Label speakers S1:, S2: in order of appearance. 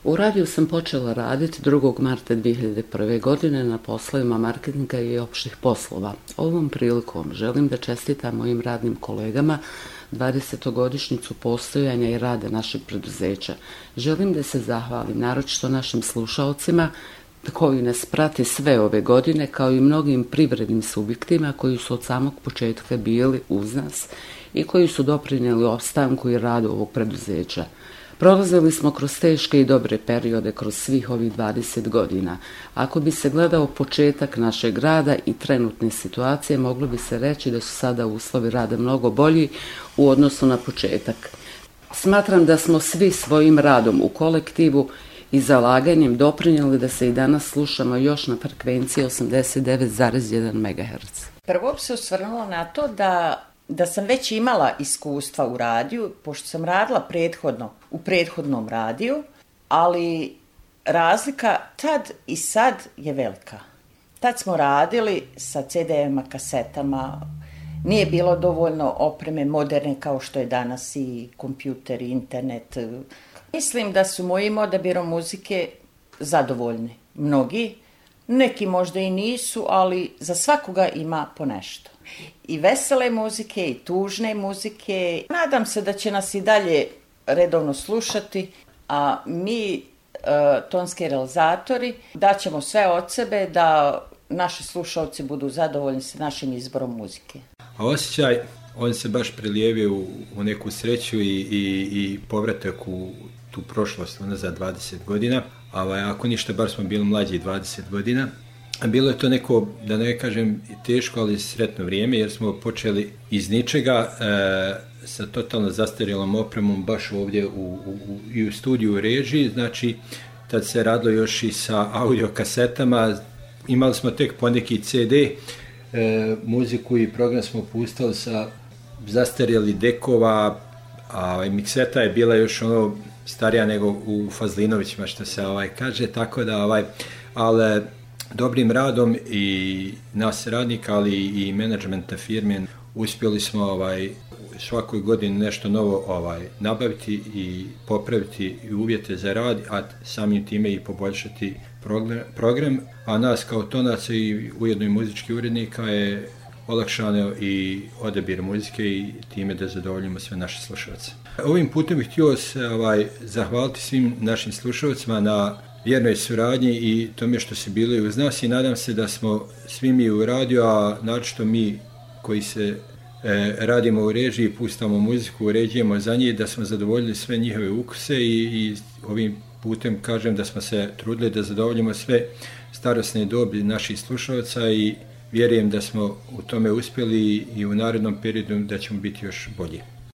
S1: U radiju sam počela raditi 2. marta 2001. godine na poslovima marketinga i opštih poslova. Ovom prilikom želim da čestitam mojim radnim kolegama 20-godišnjicu postojanja i rada našeg preduzeća. Želim da se zahvalim naročito našim slušaocima koji nas prati sve ove godine, kao i mnogim privrednim subjektima koji su od samog početka bili uz nas i koji su doprinijeli opstanku i radu ovog preduzeća. Prolazili smo kroz teške i dobre periode kroz svih ovih 20 godina. Ako bi se gledao početak našeg rada i trenutne situacije, moglo bi se reći da su sada uslovi rada mnogo bolji u odnosu na početak. Smatram da smo svi svojim radom u kolektivu i zalaganjem doprinijeli da se i danas slušamo još na frekvenciji 89,1 MHz.
S2: Prvo bi se osvrnula na to da sam već imala iskustva u radiju, pošto sam radila u prethodnom radiju, ali razlika tad i sad je velika. Tad smo radili sa CD-ima, kasetama, nije bilo dovoljno opreme moderne kao što je danas i kompjuter, i internet. Mislim da su mojim odabirom muzike zadovoljni. Mnogi, neki možda i nisu, ali za svakoga ima po nešto. I vesele muzike, i tužne muzike. Nadam se da će nas i dalje redovno slušati, a mi, tonski realizatori, daćemo sve od sebe da naši slušalci budu zadovoljni sa našim izborom muzike.
S3: A osjećaj, on se baš prelijevio u neku sreću i povratak u tu prošlost za 20 godina. Ako ništa, bar smo bili mlađi 20 godina. Bilo je to neko, da ne kažem teško, ali sretno vrijeme, jer smo počeli iz ničega sa totalno zastarjelom opremom baš ovdje i u studiju u režiji. Znači, tad se radilo još i sa audio kasetama, imali smo tek poneki CD, muziku i program smo pustali sa zastarjeli dekova, a mikseta je bila još starija nego u Fazlinovićima, što se kaže, tako da ali dobrim radom i nas radnika, ali i menadžmenta firme uspjeli smo svakoj godini nešto novo nabaviti i popraviti i uvjete za rad, a samim time i poboljšati program, a nas kao tonaca i ujedno i muzički urednika je olakšano i odabir muzike i time da zadovoljimo sve naše slušalce. Ovim putem bih htio se zahvaliti svim našim slušalcima na vjernoj suradnji i tome što su bili uz nas i nadam se da smo svi mi u radiju, a naročito mi koji se radimo u režiji, pustamo muziku, uređujemo za njih, da smo zadovoljili sve njihove ukuse i ovim putem kažem da smo se trudili da zadovoljimo sve starosne dobi naših slušalaca i vjerujem da smo u tome uspjeli i u narednom periodu da ćemo biti još bolji.